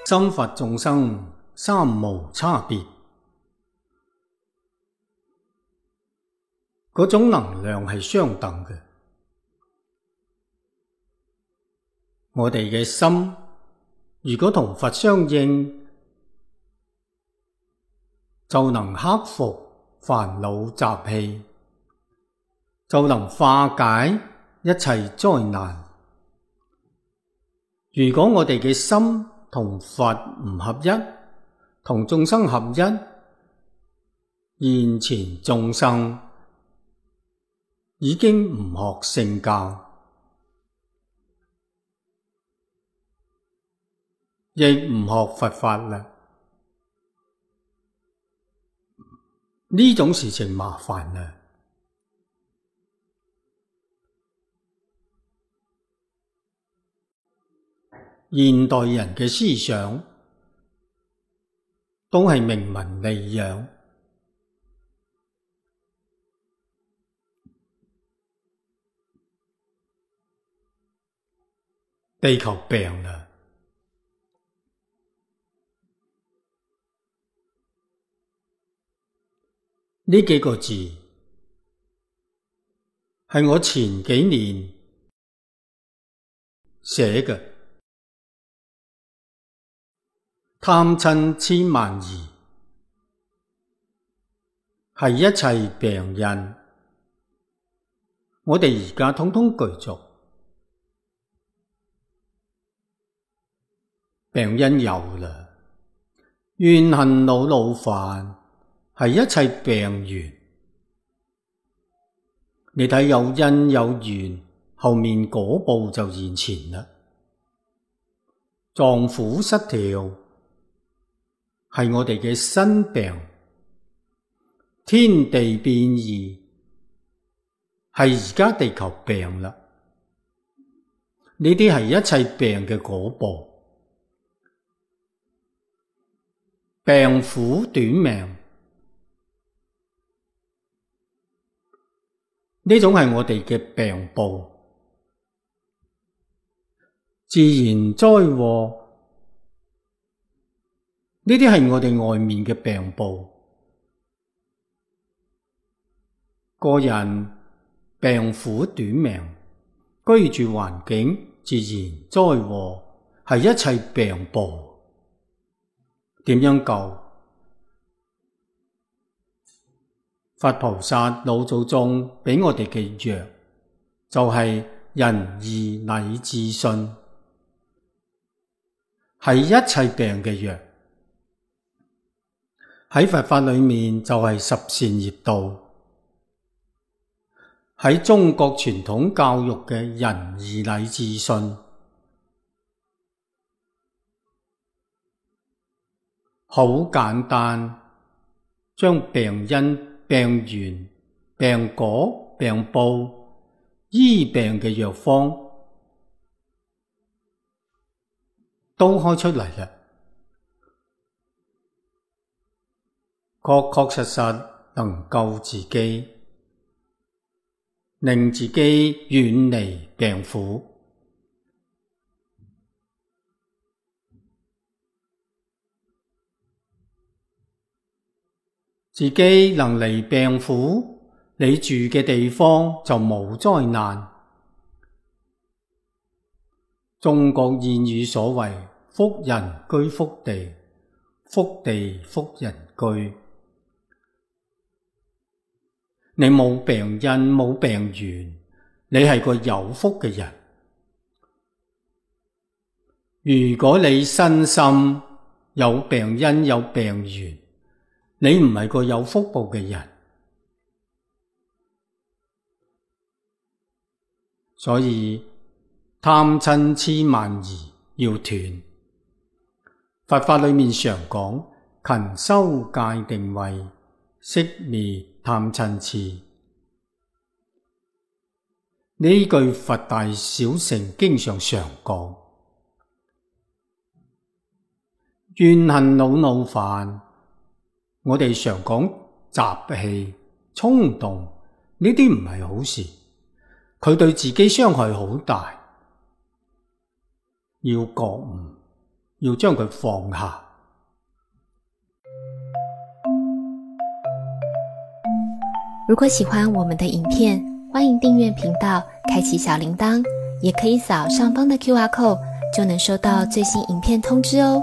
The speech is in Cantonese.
心佛眾生三無差別，嗰種能量係相等嘅。我哋嘅心如果同佛相應，就能克服煩惱習氣，就能化解一切災難。如果我哋嘅心同佛唔合一，同眾生合一，現前眾生已經唔學聖教，亦唔學佛法啦。呢種事情麻煩啦。現代人嘅思想都係明文利養，地球病啦。呢幾個字係我前幾年寫嘅，貪嗔癡慢疑係一切病因，我哋而家統統具足。病因有啦，怨恨惱怒煩係一切病源。你睇有因有緣，後面果報就現前啦。臟腑失調係我哋嘅身病，天地變異係而家地球病啦。呢啲係一切病嘅果報。病苦短命，呢種係我哋嘅病報。自然災禍，呢啲係我哋外面嘅病報。個人病苦短命，居住環境自然災禍係一切病報。點樣救？佛菩薩老祖宗畀我哋嘅藥就係仁義禮智信，係一切病嘅藥。喺佛法裏面就係十善業道，喺中國傳統教育嘅仁義禮智信，好簡單，將病因、病源、病果、病報、醫病嘅藥方都開出嚟啦，確確實實能救自己，令自己遠離病苦。自己能離病苦，你住嘅地方就冇災難。中國諺語所謂福人居福地，福地福人居。你冇病因冇病源，你係個有福嘅人。如果你身心有病因有病源，你唔係個有福報嘅人。所以貪嗔癡慢疑要斷。佛法裏面常講勤修戒定慧，息滅貪嗔癡。呢句佛大小乘經上常講。怨恨惱怒煩，我哋常講習氣、衝動，呢啲唔係好事，佢對自己傷害好大，要覺悟。要將佢放下。如果喜歡我們的影片，歡迎訂閱頻道，開啟小鈴鐺，也可以掃上方的QR code，就能收到最新影片通知哦。